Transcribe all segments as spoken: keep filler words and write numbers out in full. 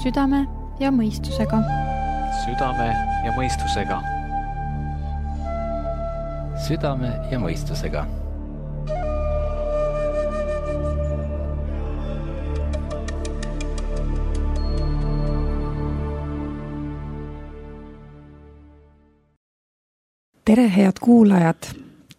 südame ja mõistusega. Südame ja mõistusega. Südame ja mõistusega. Tere, head kuulajad!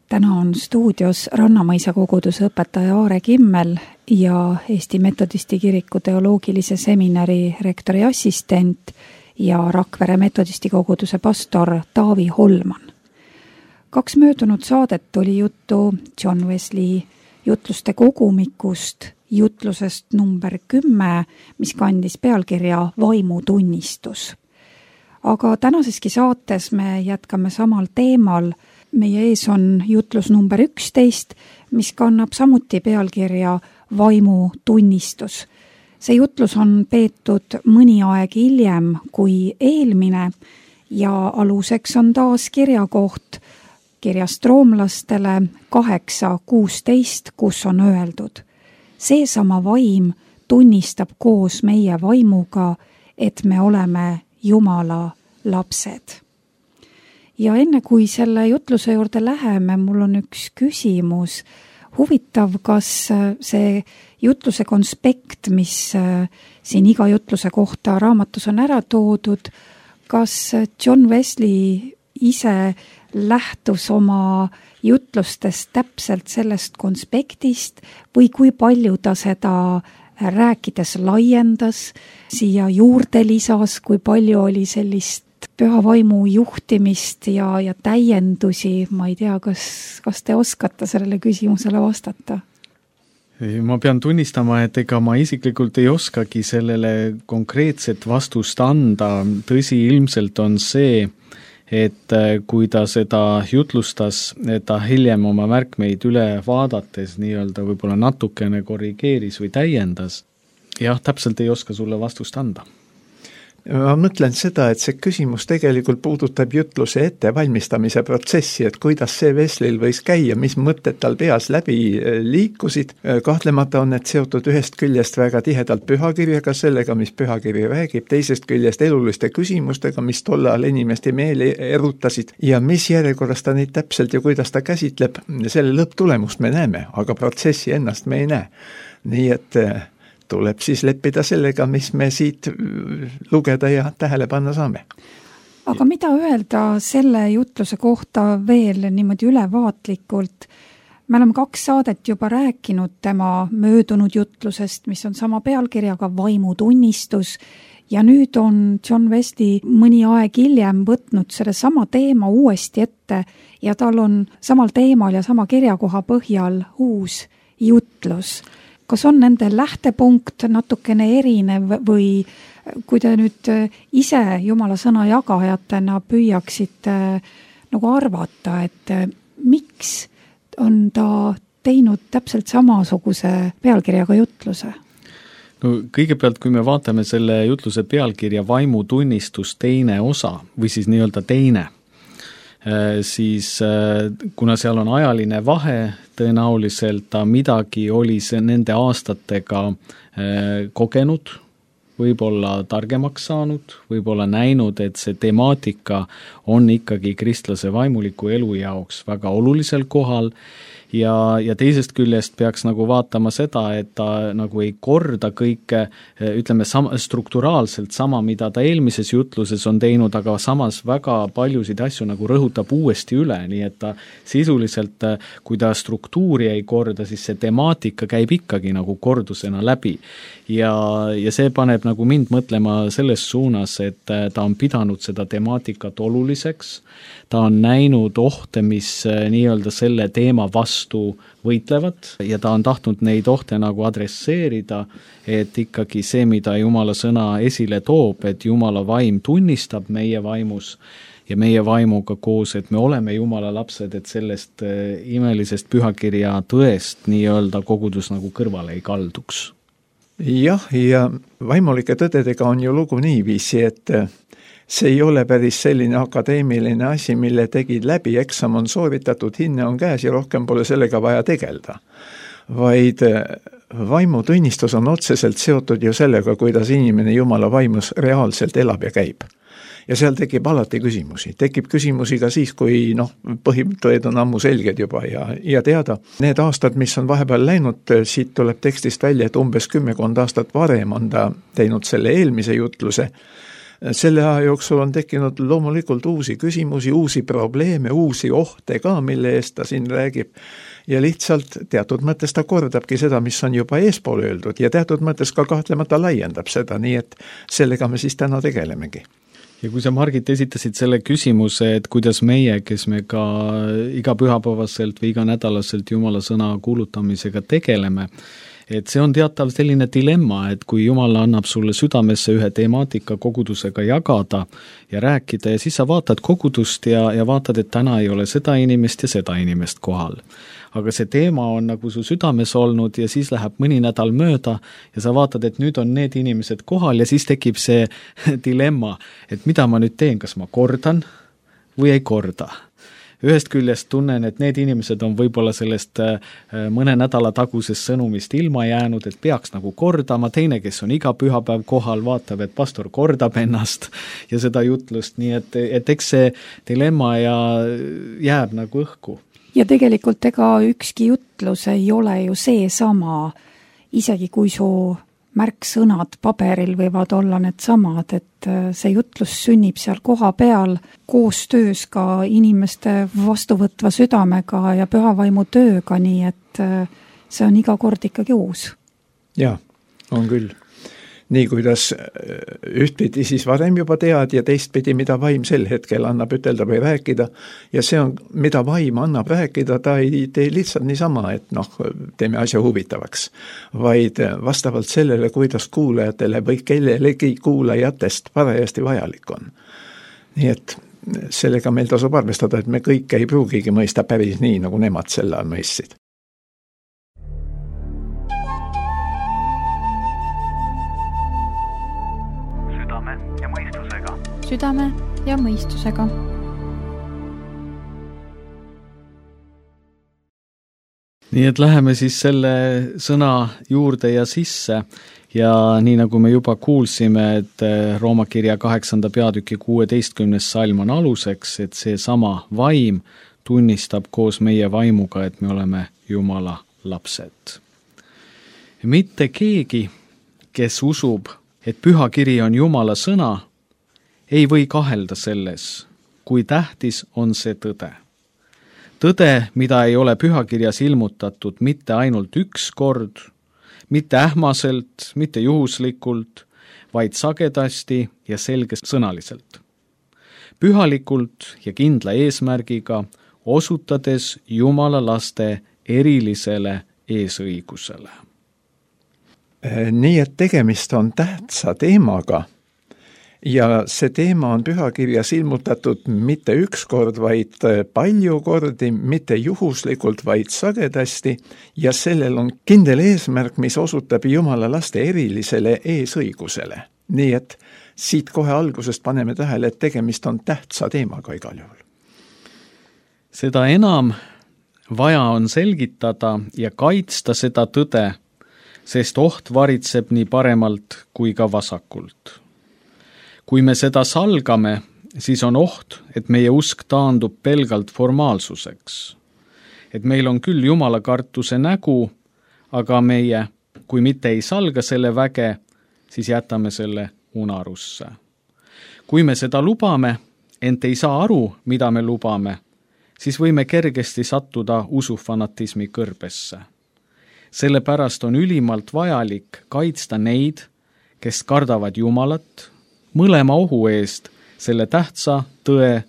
Täna on stuudios Rannamõisa koguduse õpetaja Aare Kimmel ja Eesti Metodisti kiriku teoloogilise seminari rektori assistent ja Rakvere Metodisti koguduse pastor Taavi Holman. Kaks möödunud saadet oli juttu John Wesley jutluste kogumikust, jutlusest number kümme, mis kandis pealkirja Vaimutunnistus. Aga tänaseski saates me jätkame samal teemal. Meie ees on jutlus number üksteist, mis kannab samuti pealkirja Vaimutunnistus. See jutlus on peetud mõni aeg hiljem kui eelmine ja aluseks on taas kirjakoht kirjast roomlastele kaheksa kuusteist, kus on öeldud: seesama vaim tunnistab koos meie vaimuga, et me oleme Jumala lapsed. Ja enne kui selle jutluse juurde läheme, mul on üks küsimus. Huvitav, kas see jutluse konspekt, mis siin iga jutluse kohta raamatus on ära toodud, kas John Wesley ise lähtus oma jutlustest täpselt sellest konspektist või kui palju ta seda rääkides laiendas, siia juurde lisas, kui palju oli sellist püha vaimu juhtimist ja, ja täiendusi. Ma ei tea, kas, kas te oskate sellele küsimusele vastata? Ma pean tunnistama, et ega ma isiklikult ei oskagi sellele konkreetset vastust anda. Tõsi, ilmselt on see, et kui ta seda jutlustas, et ta hiljem oma märkmeid üle vaadates nii-öelda võib-olla natukene korrigeeris või täiendas. Jah, täpselt ei oska sulle vastust anda. Ma mõtlen seda, et see küsimus tegelikult puudutab jutluse ettevalmistamise protsessi, et kuidas see Wesleyl võis käia, mis mõtted tal peas läbi liikusid. Kahtlemata on need seotud ühest küljest väga tihedalt pühakirjaga, sellega, mis pühakiri räägib, teisest küljest eluliste küsimustega, mis tollal inimeste meeli erutasid ja mis järjekorras ta neid täpselt ja kuidas ta käsitleb, selle lõpptulemust me näeme, aga protsessi ennast me ei näe. Nii et tuleb siis leppida sellega, mis me siit lugeda ja tähele panna saame. Aga mida öelda selle jutluse kohta veel niimoodi ülevaatlikult? Me oleme kaks saadet juba rääkinud tema möödunud jutlusest, mis on sama pealkirjaga Vaimutunnistus, ja nüüd on John Wesley mõni aeg hiljem võtnud selle sama teema uuesti ette ja tal on samal teemal ja sama kirjakoha põhjal uus jutlus. Kas on nende lähtepunkt natukene erinev või kui te nüüd ise Jumala sõna jagajatena püüaksite nagu arvata, et miks on ta teinud täpselt samasuguse pealkirjaga jutluse? No, kõigepealt, kui me vaatame selle jutluse pealkirja Vaimutunnistus teine osa või siis nii-öelda teine, siis kuna seal on ajaline vahe, tõenäoliselt ta midagi oli see nende aastatega kogenud, võib-olla targemaks saanud, võib-olla näinud, et see temaatika on ikkagi kristlase vaimuliku elu jaoks väga olulisel kohal ja, ja teisest küljest peaks nagu vaatama seda, et ta nagu ei korda kõike, ütleme sama, strukturaalselt sama, mida ta eelmises jutluses on teinud, aga samas väga paljusid asju nagu rõhutab uuesti üle, nii et ta sisuliselt, kui ta struktuuri ei korda, siis see temaatika käib ikkagi nagu kordusena läbi. Ja, ja see paneb nagu mind mõtlema selles suunas, et ta on pidanud seda temaatikat oluliseks, ta on näinud ohte, mis nii-öelda selle teema vastu võitlevad ja ta on tahtnud neid ohte nagu adresseerida, et ikkagi see, mida Jumala sõna esile toob, et Jumala vaim tunnistab meie vaimus ja meie vaimuga koos, et me oleme Jumala lapsed, et sellest imelisest pühakirja tõest nii-öelda kogudus nagu kõrvale ei kalduks. Jah, ja vaimulike tõdedega on ju lugu niiviisi, et see ei ole päris selline akadeemiline asi, mille tegid läbi, eksam on sooritatud, hinne on käes ja rohkem pole sellega vaja tegelda. vaid vaimutunnistus on otseselt seotud ju sellega, kuidas inimene Jumala vaimus reaalselt elab ja käib. Ja seal tekib alati küsimusi. Tekib küsimusi ka siis, kui noh, põhitõed on ammu selged juba ja, ja teada. Need aastad, mis on vahepeal läinud, siit tuleb tekstist välja, et umbes kümmekond aastat varem on ta teinud selle eelmise jutluse. Selle aja jooksul on tekkinud loomulikult uusi küsimusi, uusi probleeme, uusi ohte ka, mille eest ta siin räägib. Ja lihtsalt teatud mõttes ta kordabki seda, mis on juba eespool öeldud ja teatud mõttes ka kahtlemata laiendab seda, nii et sellega me siis täna tegelemegi. Ja kui sa, Margit, esitasid selle küsimuse, et kuidas meie, kes me ka iga pühapäevaselt või iga nädalaselt Jumala sõna kuulutamisega tegeleme, et see on teatav selline dilemma, et kui Jumal annab sulle südamesse ühe temaatika kogudusega jagada ja rääkida ja siis sa vaatad kogudust ja, ja vaatad, et täna ei ole seda inimest ja seda inimest kohal. Aga see teema on nagu su südames olnud ja siis läheb mõni nädal mööda ja sa vaatad, et nüüd on need inimesed kohal ja siis tekib see dilemma, et mida ma nüüd teen, kas ma kordan või ei korda. Ühest küljest tunnen, et need inimesed on võib-olla sellest mõne nädala tagusest sõnumist ilma jäänud, et peaks nagu kordama, teine, kes on iga pühapäev kohal, vaatab, et pastor kordab ennast ja seda jutlust, nii et, et eks see dilemma ja jääb nagu õhku. Ja tegelikult ega ükski jutlus ei ole ju see sama, isegi kui su märksõnad paberil võivad olla need samad, et see jutlus sünnib seal koha peal koostöös ka inimeste vastuvõtva südamega ja pühavaimu tööga, nii et see on iga kord ikkagi uus. Jaa, on küll. Nii kuidas ühtpidi siis varem juba tead ja teistpidi, mida vaim sel hetkel annab ütelda või rääkida. Ja see on, mida vaim annab rääkida, ta ei tee lihtsalt niisama, et noh, teeme asja huvitavaks, vaid vastavalt sellele, kuidas kuulajatele või kellelegi kuulajatest parajasti vajalik on. Nii et sellega meil tasub arvestada, et me kõik ei pruugigi mõista päris nii, nagu nemad selle mõistsid. Südame ja mõistusega. Nii et läheme siis selle sõna juurde ja sisse ja nii nagu me juba kuulsime, et Rooma kirja kaheksanda peatüki kuueteistkümnes salm on aluseks, et see sama vaim tunnistab koos meie vaimuga, et me oleme Jumala lapsed. Mitte keegi, kes usub, et pühakiri on Jumala sõna, ei või kahelda selles, kui tähtis on see tõde. Tõde, mida ei ole pühakirjas ilmutatud mitte ainult üks kord, mitte ähmaselt, mitte juhuslikult, vaid sagedasti ja selgesõnaliselt. Pühalikult ja kindla eesmärgiga, osutades Jumala laste erilisele eesõigusele. Nii et tegemist on tähtsa teemaga, ja see teema on pühakirjas ilmutatud mitte üks kord, vaid palju kordi, mitte juhuslikult, vaid sagedasti ja sellel on kindel eesmärk, mis osutab Jumala laste erilisele eesõigusele. Nii et siit kohe algusest paneme tähele, et tegemist on tähtsa teemaga igal juhul. Seda enam vaja on selgitada ja kaitsta seda tõde, sest oht varitseb nii paremalt kui ka vasakult. Kui me seda salgame, siis on oht, et meie usk taandub pelgalt formaalsuseks. Et meil on küll Jumala kartuse nägu, aga meie, kui mitte ei salga selle väge, siis jätame selle unarusse. Kui me seda lubame, ent ei saa aru, mida me lubame, siis võime kergesti sattuda usufanatismi kõrbesse. Sellepärast on ülimalt vajalik kaitsta neid, kes kardavad Jumalat, mõlema ohu eest selle tähtsa, tõe,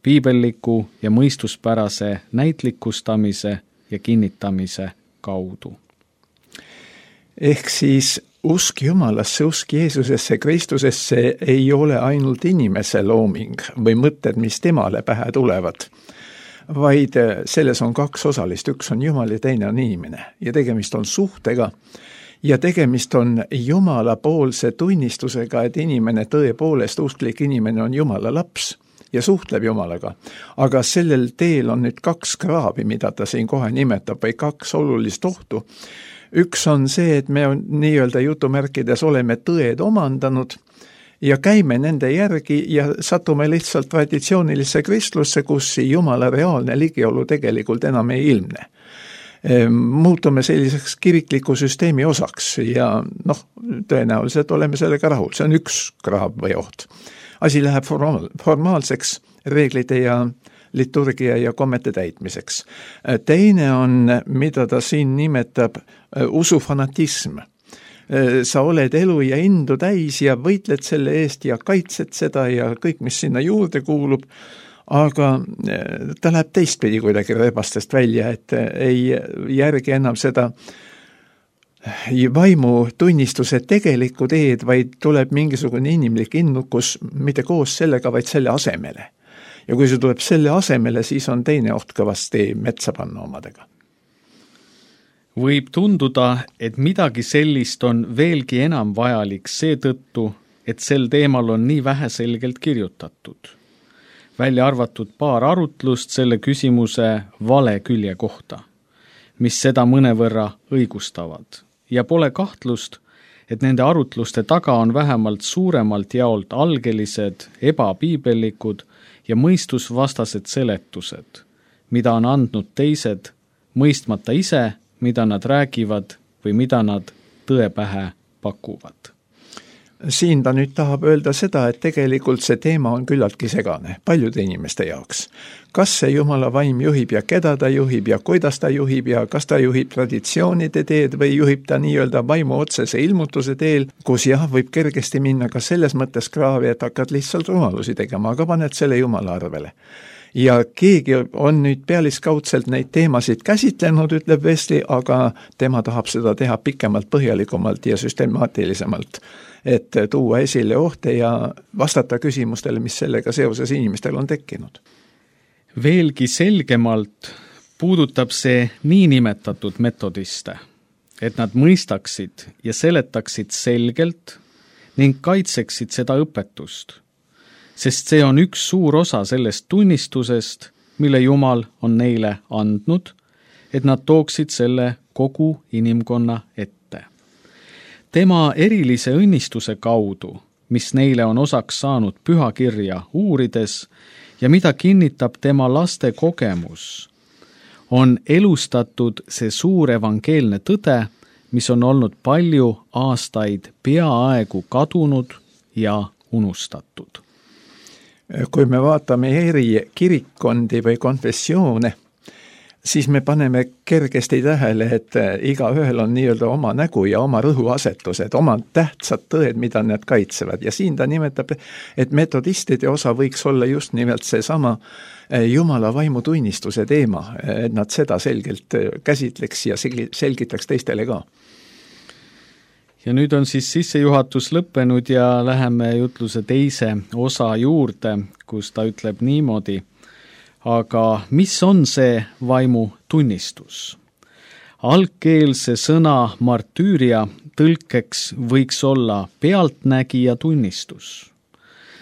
piibelliku ja mõistuspärase näitlikustamise ja kinnitamise kaudu. Ehk siis usk Jumalasse, usk Jeesusesse, Kristusesse ei ole ainult inimese looming või mõtted, mis temale pähe tulevad, vaid selles on kaks osalist, üks on Jumal ja teine on inimene ja tegemist on suhtega, ja tegemist on Jumala poolse tunnistusega, et inimene tõepoolest, usklik inimene on Jumala laps ja suhtleb Jumalaga. aga sellel teel on nüüd kaks kraavi, mida ta siin kohe nimetab, või kaks olulist ohtu. Üks on see, et me on nii-öelda jutumärkides oleme tõed omandanud ja käime nende järgi ja satume lihtsalt traditsioonilisse kristlusse, kus Jumala reaalne ligiolu tegelikult enam ei ilmne. Muutume selliseks kirikliku süsteemi osaks ja noh, tõenäoliselt oleme sellega rahul. See on üks kraav või oht. Asi läheb formaal, formaalseks reeglite ja liturgia ja kommete täitmiseks. Teine on, mida ta siin nimetab, usufanatism. Sa oled elu ja indu täis ja võitled selle eest ja kaitsed seda ja kõik, mis sinna juurde kuulub, aga ta läheb teistpidi kuidagi rebastest välja, et ei järgi enam seda vaimu tunnistuse tegelikku teed, vaid tuleb mingisugune inimlik innukus, mitte koos sellega, vaid selle asemele. Ja kui see tuleb selle asemele, siis on teine oht kõvasti metsa panna omadega. Võib tunduda, et midagi sellist on veelgi enam vajalik seetõttu, et sel teemal on nii vähe selgelt kirjutatud. Välja arvatud paar arutlust selle küsimuse vale külje kohta, mis seda mõnevõrra õigustavad. Ja pole kahtlust, et nende arutluste taga on vähemalt suuremalt jaolt algelised, ebapiibellikud ja mõistusvastased seletused, mida on andnud teised, mõistmata ise, mida nad räägivad või mida nad tõe pähe pakuvad. Siin ta nüüd tahab öelda seda, et tegelikult see teema on küllaltki segane paljude inimeste jaoks. Kas see Jumala vaim juhib ja keda ta juhib ja kuidas ta juhib ja kas ta juhib traditsioonide teed või juhib ta nii-öelda vaimu otsese ilmutuse teel, kus jah, võib kergesti minna ka selles mõttes kraavi, et hakkad lihtsalt rumalusi tegema, aga paned selle Jumala arvele. Ja keegi on nüüd pealiskaudselt neid teemasid käsitlenud, ütleb Wesley, aga tema tahab seda teha pikemalt, põhjalikumalt ja süstemaatilisemalt, et tuua esile ohte ja vastata küsimustele, mis sellega seoses inimestel on tekkinud. Veelgi selgemalt puudutab see niinimetatud metodiste, et nad mõistaksid ja seletaksid selgelt ning kaitseksid seda õpetust, sest see on üks suur osa sellest tunnistusest, mille Jumal on neile andnud, et nad tooksid selle kogu inimkonna ette. Tema erilise õnnistuse kaudu, mis neile on osaks saanud pühakirja uurides ja mida kinnitab tema laste kogemus, on elustatud see suur evangeelne tõde, mis on olnud palju aastaid peaaegu kadunud ja unustatud. Kui me vaatame eri kirikkondi või konfessioone, siis me paneme kergesti tähele, et iga ühel on nii-öelda oma nägu ja oma rõhuasetused, oma tähtsad tõed, mida nad kaitsevad. Ja siin ta nimetab, et metodistide osa võiks olla just nimelt see sama Jumala vaimu tunnistuse teema, et nad seda selgelt käsitleks ja selgitaks teistele ka. Ja nüüd on siis sissejuhatus lõppenud ja läheme jutluse teise osa juurde, kus ta ütleb niimoodi, aga mis on see vaimu tunnistus? Algkeelse sõna martüüria tõlkeks võiks olla pealtnägija tunnistus,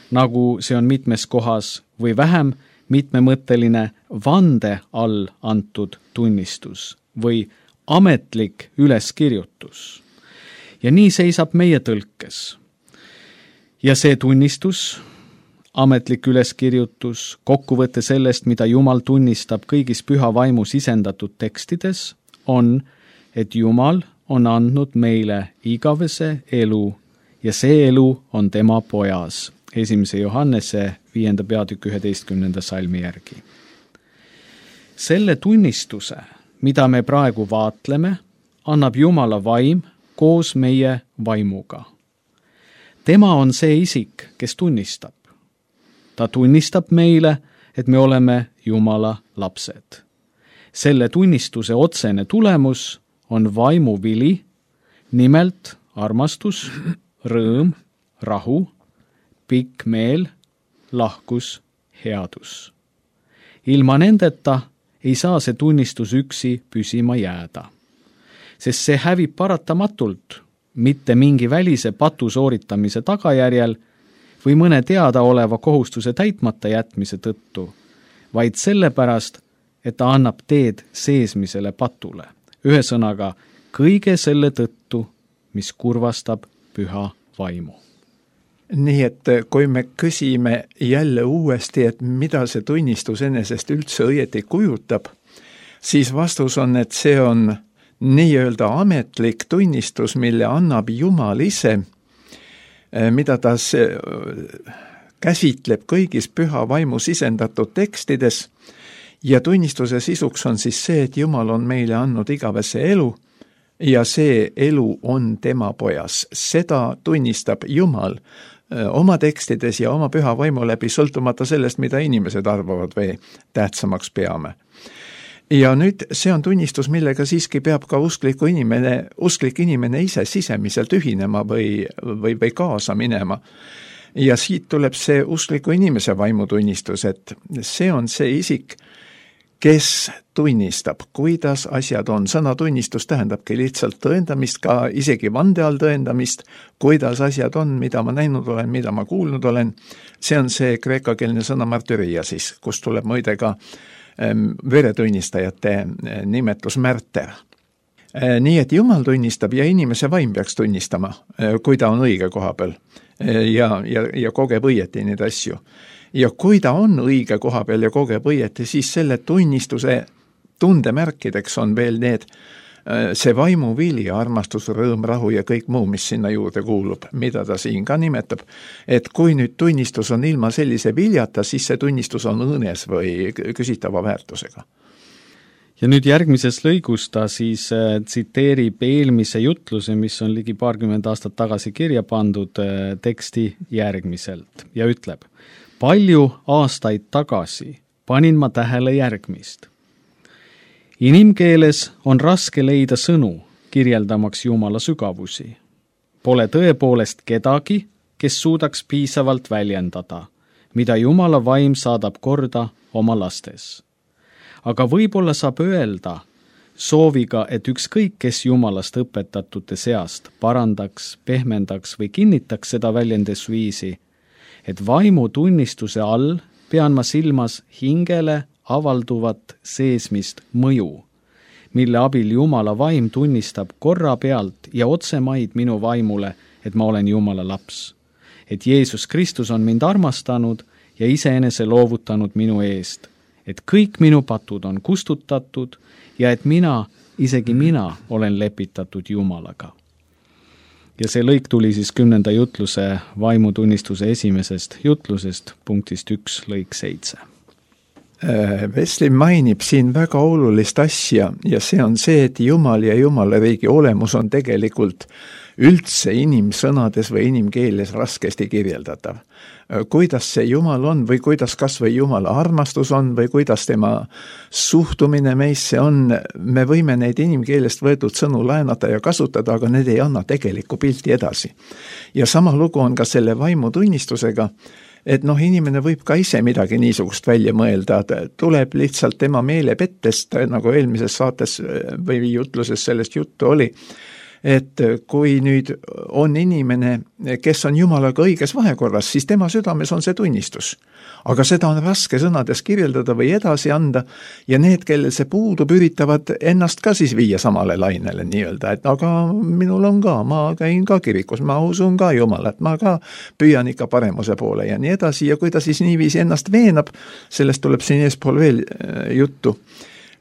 nagu see on mitmes kohas või vähem mitmemõtteline vande all antud tunnistus või ametlik üleskirjutus. Ja nii seisab meie tõlkes. Ja see tunnistus, ametlik üleskirjutus, kokkuvõte sellest, mida Jumal tunnistab kõigis püha vaimu sisendatud tekstides, on, et Jumal on andnud meile igavese elu ja see elu on tema pojas. Esimese Johannese viienda peatükk üheteistkümnenda salmi järgi. Selle tunnistuse, mida me praegu vaatleme, annab Jumala vaim koos meie vaimuga. Tema on see isik, kes tunnistab. Ta tunnistab meile, et me oleme Jumala lapsed. Selle tunnistuse otsene tulemus on vaimu vili, nimelt armastus, rõõm, rahu, pikk meel, lahkus, headus. Ilma nendeta ei saa see tunnistus üksi püsima jääda, sest see hävib paratamatult, mitte mingi välise patu sooritamise tagajärjel, või mõne teadaoleva kohustuse täitmata jätmise tõttu, vaid sellepärast, et ta annab teed seesmisele patule. Ühesõnaga, kõige selle tõttu, mis kurvastab püha vaimu. Nii et kui me küsime jälle uuesti, et mida see tunnistus enesest üldse õieti kujutab, siis vastus on, et see on nii-öelda ametlik tunnistus, mille annab Jumal ise, mida ta käsitleb kõigis püha vaimu sisendatud tekstides, ja tunnistuse sisuks on siis see, et Jumal on meile andnud igavese elu ja see elu on tema pojas. Seda tunnistab Jumal oma tekstides ja oma püha vaimu läbi, sõltumata sellest, mida inimesed arvavad või tähtsamaks peame. Ja nüüd see on tunnistus, millega siiski peab ka uskliku inimene, usklik inimene ise sisemiselt ühinema või, või, või kaasa minema. Ja siit tuleb see uskliku inimese vaimutunnistus, et see on see isik, kes tunnistab, kuidas asjad on. Sõnatunnistus tähendabki lihtsalt tõendamist, ka isegi vande all tõendamist, kuidas asjad on, mida ma näinud olen, mida ma kuulnud olen. See on see kreekakeelne sõna martyriasis, kus tuleb muide ka veretunnistajate nimetus märter. Nii et Jumal tunnistab ja inimese vaim peaks tunnistama, kui ta on õige koha peal ja, ja, ja kogeb õieti neid asju. Ja kui ta on õige koha peal ja kogeb õieti, siis selle tunnistuse tundemärkideks on veel need, see vaimu vili, armastus, rõõm, rahu ja kõik muu, mis sinna juurde kuulub, mida ta siin ka nimetab. Et kui nüüd tunnistus on ilma sellise viljata, siis see tunnistus on õõnes või küsitava väärtusega. Ja nüüd järgmises lõigus ta siis äh, tsiteerib eelmise jutluse, mis on ligi paarkümmend aastat tagasi kirja pandud äh, teksti järgmiselt ja ütleb: palju aastaid tagasi panin ma tähele järgmist. Inimkeeles on raske leida sõnu, kirjeldamaks Jumala sügavusi. Pole tõepoolest kedagi, kes suudaks piisavalt väljendada, mida Jumala vaim saadab korda oma lastes. Aga võib-olla saab öelda sooviga, et ükskõik, kes Jumalast õpetatute seast parandaks, pehmendaks või kinnitaks seda väljendusviisi, et vaimu tunnistuse all pean ma silmas hingele avalduvat seesmist mõju, mille abil Jumala vaim tunnistab korra pealt ja otsemaid minu vaimule, et ma olen Jumala laps. Et Jeesus Kristus on mind armastanud ja iseenese loovutanud minu eest, et kõik minu patud on kustutatud ja et mina, isegi mina, olen lepitatud Jumalaga. Ja see lõik tuli siis kümnenda jutluse vaimutunnistuse esimesest jutlusest, punktist üks, lõik seitse. Wesley mainib siin väga olulist asja ja see on see, et Jumal ja Jumala riigi olemus on tegelikult üldse inimsõnades või inimkeeles raskesti kirjeldatav. Kuidas see Jumal on või kuidas kas või Jumala armastus on või kuidas tema suhtumine meisse on, me võime neid inimkeelest võetud sõnu laenata ja kasutada, aga need ei anna tegelikku pilti edasi. Ja sama lugu on ka selle vaimutunnistusega, et noh, inimene võib ka ise midagi niisugust välja mõelda, tuleb lihtsalt tema meelepettest, nagu eelmises saates või jutluses sellest juttu oli, et kui nüüd on inimene, kes on Jumalaga õiges vahekorras, siis tema südames on see tunnistus. Aga seda on raske sõnades kirjeldada või edasi anda ja need, kellel see puudub, üritavad ennast ka siis viia samale lainele nii-öelda, et aga minul on ka, ma käin ka kirikus, ma usun ka Jumalat, ma ka püüan ikka paremuse poole ja nii edasi ja kui ta siis niiviisi ennast veenab, sellest tuleb siin eespool veel juttu,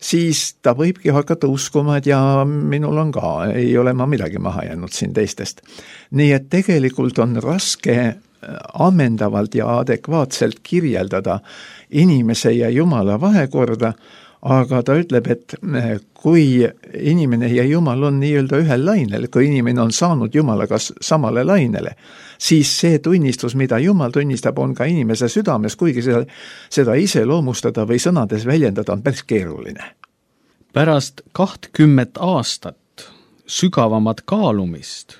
siis ta võibki hakata uskuma, et ja minul on ka, ei ole ma midagi maha jäänud siin teistest. Nii et tegelikult on raske ammendavalt ja adekvaatselt kirjeldada inimese ja Jumala vahekorda, aga ta ütleb, et kui inimene ja Jumal on nii-öelda ühel lainel, kui inimene on saanud Jumalaga samale lainele, siis see tunnistus, mida Jumal tunnistab, on ka inimese südames, kuigi seda, seda ise loomustada või sõnades väljendada on päris keeruline. Pärast kahtkümmet aastat sügavamat kaalumist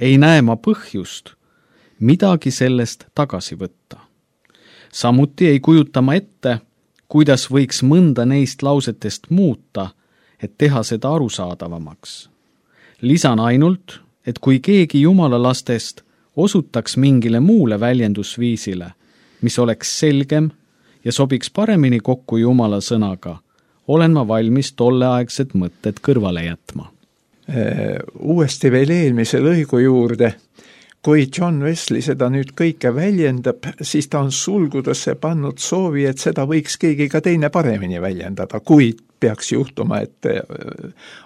ei näe ma põhjust midagi sellest tagasi võtta. Samuti ei kujuta ma ette, kuidas võiks mõnda neist lausetest muuta, et teha seda arusaadavamaks. Lisan ainult, et kui keegi Jumala lastest osutaks mingile muule väljendusviisile, mis oleks selgem ja sobiks paremini kokku Jumala sõnaga, olen ma valmis tolleaegsed mõtted kõrvale jätma. Uuesti veel eelmise lõigu juurde. Kui John Wesley seda nüüd kõike väljendab, siis ta on sulgudesse pannud soovi, et seda võiks keegi ka teine paremini väljendada, kui peaks juhtuma, et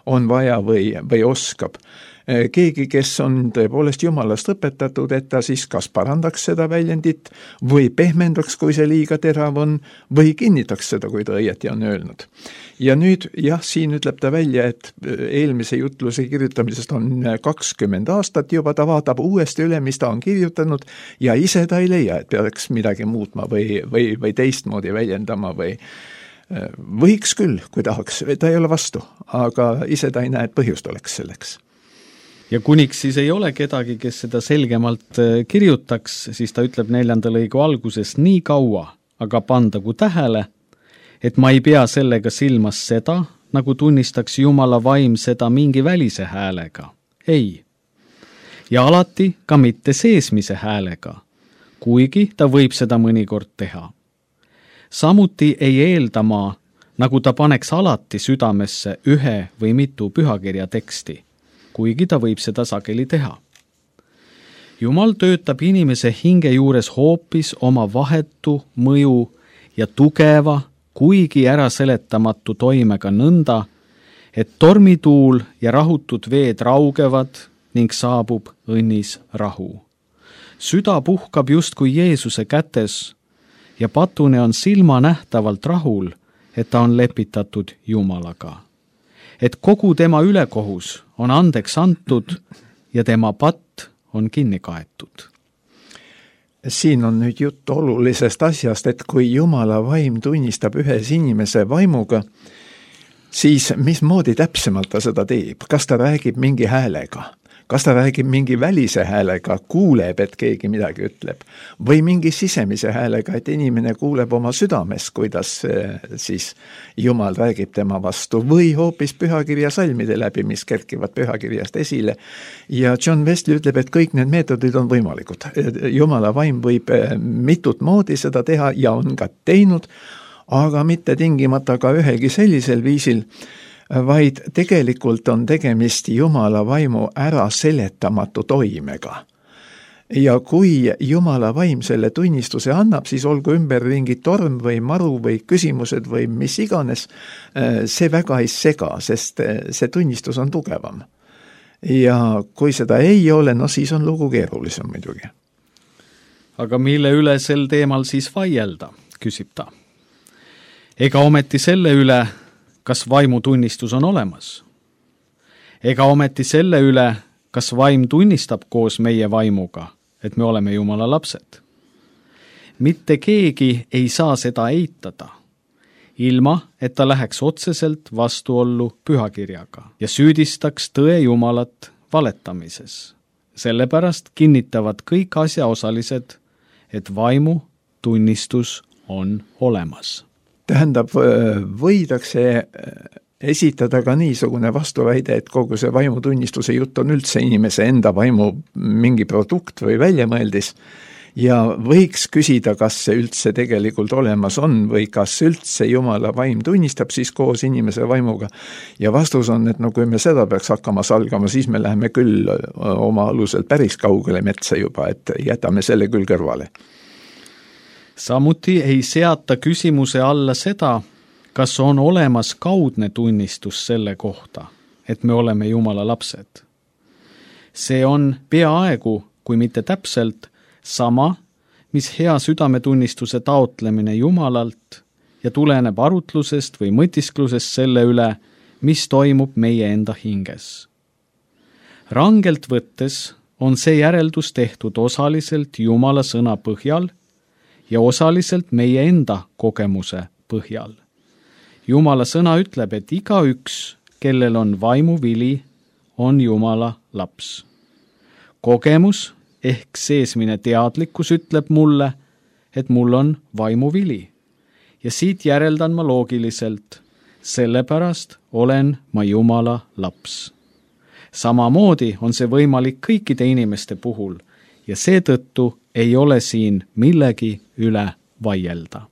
on vaja või, või oskab. Keegi, kes on tõepoolest Jumalast õpetatud, et ta siis kas parandaks seda väljendit või pehmendaks, kui see liiga terav on, või kinnitaks seda, kui ta õieti on öelnud. Ja nüüd, jah, siin ütleb ta välja, et eelmise jutluse kirjutamisest on kakskümmend aastat juba, ta vaatab uuesti üle, mis ta on kirjutanud ja ise ta ei leia, et peaks midagi muutma või, või, või teistmoodi väljendama või võiks küll, kui tahaks, ta ei ole vastu, aga ise ta ei näe, et põhjust oleks selleks. Ja kuniks siis ei ole kedagi, kes seda selgemalt kirjutaks, siis ta ütleb neljanda lõigu alguses nii kaua, aga pandagu tähele, et ma ei pea sellega silmas seda, nagu tunnistaks Jumala vaim seda mingi välise häälega. Ei. Ja alati ka mitte seesmise häälega, kuigi ta võib seda mõnikord teha. Samuti ei eelda ma, nagu ta paneks alati südamesse ühe või mitu pühakirja teksti, kuigi ta võib seda sageli teha. Jumal töötab inimese hinge juures hoopis oma vahetu mõju ja tugeva, kuigi ära seletamatu toimega nõnda, et tormituul ja rahutud veed raugevad ning saabub õnnis rahu. Süda puhkab justkui Jeesuse kätes ja patune on silma nähtavalt rahul, et ta on lepitatud Jumalaga. Et kogu tema ülekohus on andeks antud ja tema patt on kinni kaetud. Siin on nüüd jutt olulisest asjast, et kui Jumala vaim tunnistab ühes inimese vaimuga, siis mismoodi täpsemalt ta seda teeb? Kas ta räägib mingi häälega? Kas ta räägib mingi välise häälega, kuuleb, et keegi midagi ütleb? Või mingi sisemise häälega, et inimene kuuleb oma südames, kuidas siis Jumal räägib tema vastu? Või hoopis pühakirja salmide läbi, mis kerkivad pühakirjast esile? Ja John Wesley ütleb, et kõik need meetodid on võimalikud. Jumala vaim võib mitut moodi seda teha ja on ka teinud, aga mitte tingimata ka ühelgi sellisel viisil, vaid tegelikult on tegemist Jumala vaimu ära seletamatu toimega. Ja kui Jumala vaim selle tunnistuse annab, siis olgu ümberringi torm või maru või küsimused või mis iganes, see väga ei sega, sest see tunnistus on tugevam. Ja kui seda ei ole, no siis on lugu keerulisem muidugi. Aga mille üle sel teemal siis vaielda, küsib ta. Ega ometi selle üle, kas vaimutunnistus on olemas? Ega ometi selle üle, kas vaim tunnistab koos meie vaimuga, et me oleme Jumala lapsed? Mitte keegi ei saa seda eitada, ilma et ta läheks otseselt vastuollu pühakirjaga ja süüdistaks tõe Jumalat valetamises. Sellepärast kinnitavad kõik asjaosalised, et vaimu tunnistus on olemas. Tähendab, võidakse esitada ka niisugune vastuväide, et kogu see vaimutunnistuse jutt on üldse inimese enda vaimu mingi produkt või väljamõeldis ja võiks küsida, kas see üldse tegelikult olemas on või kas üldse Jumala vaim tunnistab siis koos inimese vaimuga. Ja vastus on, et no kui me seda peaks hakkama salgama, siis me läheme küll oma aluselt päris kaugele metsa juba, et jätame selle küll kõrvale. Samuti ei seata küsimuse alla seda, kas on olemas kaudne tunnistus selle kohta, et me oleme Jumala lapsed. See on peaaegu, kui mitte täpselt, sama, mis hea südametunnistuse taotlemine Jumalalt ja tuleneb arutlusest või mõtisklusest selle üle, mis toimub meie enda hinges. Rangelt võttes on see järeldus tehtud osaliselt Jumala sõna põhjal ja osaliselt meie enda kogemuse põhjal. Jumala sõna ütleb, et igaüks, kellel on vaimuvili, on Jumala laps. Kogemus ehk seesmine teadlikkus ütleb mulle, et mul on vaimuvili. Ja siit järeldan ma loogiliselt, sellepärast olen ma Jumala laps. Samamoodi on see võimalik kõikide inimeste puhul ja seetõttu ei ole siin millegi üle vaielda.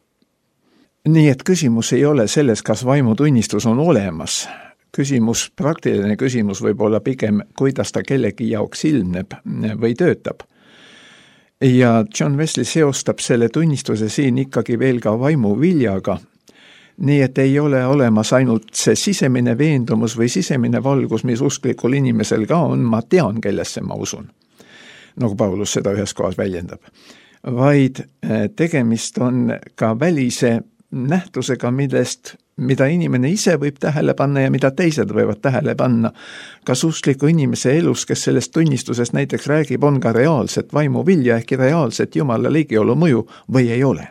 Nii et küsimus ei ole selles, kas vaimutunnistus on olemas. Küsimus, praktiline küsimus võib olla pigem, kuidas ta kellegi jaoks ilmneb või töötab. Ja John Wesley seostab selle tunnistuse siin ikkagi veel ka vaimuviljaga, nii et ei ole olemas ainult see sisemine veendumus või sisemine valgus, mis usklikul inimesel ka on, ma tean, kellesse ma usun, nagu Paulus seda ühes kohas väljendab, vaid tegemist on ka välise nähtusega, millest, mida inimene ise võib tähele panna ja mida teised võivad tähele panna. Kas uskliku inimese elus, kes sellest tunnistusest näiteks räägib, on ka reaalset vaimuvilja ehk reaalset Jumala ligiolu mõju või ei ole.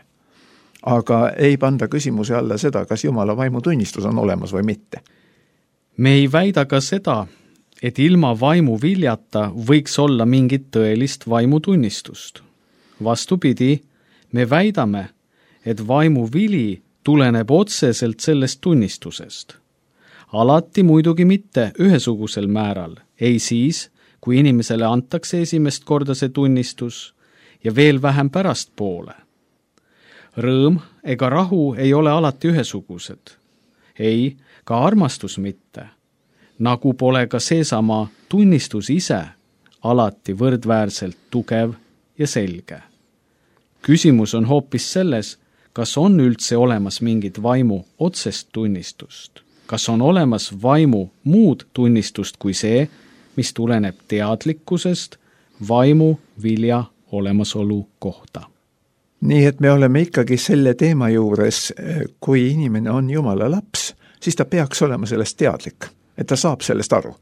Aga ei panda küsimuse alla seda, kas Jumala vaimutunnistus on olemas või mitte. Me ei väida ka seda, et ilma vaimuviljata võiks olla mingit tõelist vaimutunnistust. Vastupidi, me väidame, et vaimuvili tuleneb otseselt sellest tunnistusest. Alati muidugi mitte ühesugusel määral, ei siis, kui inimesele antakse esimest korda see tunnistus ja veel vähem pärastpoole. Rõõm ega rahu ei ole alati ühesugused. Ei, ka armastus mitte. Nagu pole ka seesama tunnistus ise alati võrdväärselt tugev ja selge. Küsimus on hoopis selles, kas on üldse olemas mingit vaimu otsest tunnistust? Kas on olemas vaimu muud tunnistust kui see, mis tuleneb teadlikkusest vaimu vilja olemasolu kohta? Nii et me oleme ikkagi selle teema juures, kui inimene on Jumala laps, siis ta peaks olema sellest teadlik, et ta saab sellest aru.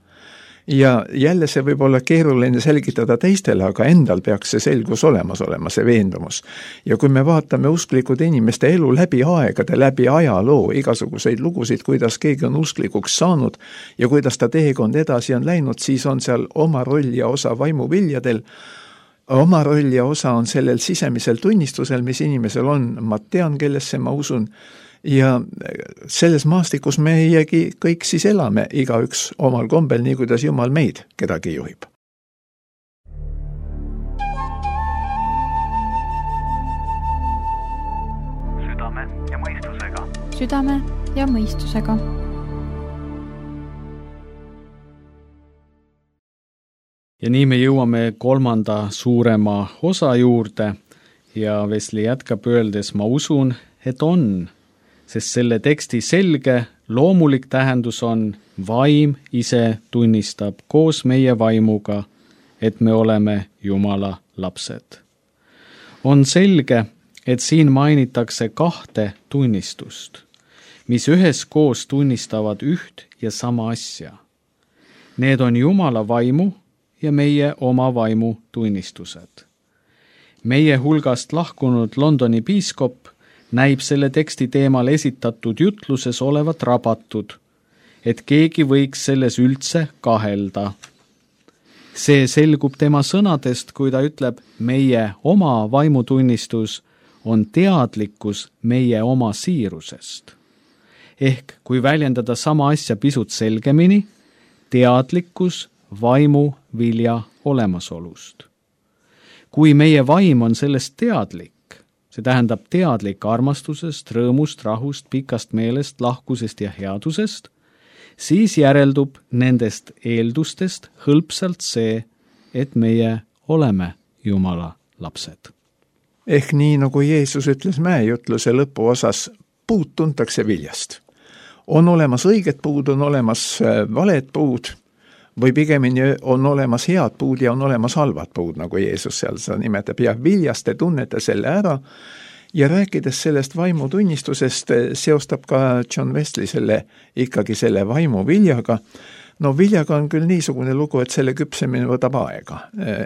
Ja jälle see võib olla keeruline selgitada teistele, aga endal peaks see selgus olemas olema, see veendumus. Ja kui me vaatame usklikud inimeste elu läbi aegade, läbi ajaloo, igasuguseid lugusid, kuidas keegi on usklikuks saanud ja kuidas ta teekond edasi on läinud, siis on seal oma roll ja osa vaimuviljadel. Oma roll ja osa on sellel sisemisel tunnistusel, mis inimesel on, ma tean, kellesse ma usun. Ja selles maastikus meiegi kõik siis elame, igaüks omal kombel, nii kuidas Jumal meid kedagi juhib. Südame ja mõistusega. Südame ja mõistusega. Ja nii me jõuame kolmanda suurema osa juurde ja Wesley jätkab öeldes, ma usun, et on, sest selle teksti selge, loomulik tähendus on, vaim ise tunnistab koos meie vaimuga, et me oleme Jumala lapsed. On selge, et siin mainitakse kahte tunnistust, mis üheskoos tunnistavad üht ja sama asja. Need on Jumala vaimu ja meie oma vaimu tunnistused. Meie hulgast lahkunud Londoni piiskop näib selle teksti teemal esitatud jutluses olevat rabatud, et keegi võiks selles üldse kahelda. See selgub tema sõnadest, kui ta ütleb, meie oma vaimutunnistus on teadlikkus meie oma siirusest. Ehk kui väljendada sama asja pisut selgemini, teadlikkus vaimu vilja olemasolust. Kui meie vaim on sellest teadlik, see tähendab teadlik armastusest, rõõmust, rahust, pikast meelest, lahkusest ja headusest, siis järeldub nendest eeldustest hõlpsalt see, et meie oleme Jumala lapsed. Ehk nii, nagu Jeesus ütles mäejutluse lõpuosas, puud tuntakse viljast. On olemas õiged puud, on olemas valed puud, või pigemini on olemas head puud ja on olemas halvad puud, nagu Jeesus seal seda nimetab, ja viljast te tunnete selle ära, ja rääkides sellest vaimutunnistusest, seostab ka John Wesley selle, ikkagi selle vaimu viljaga. No viljaga on küll niisugune lugu, et selle küpsemine võtab aega,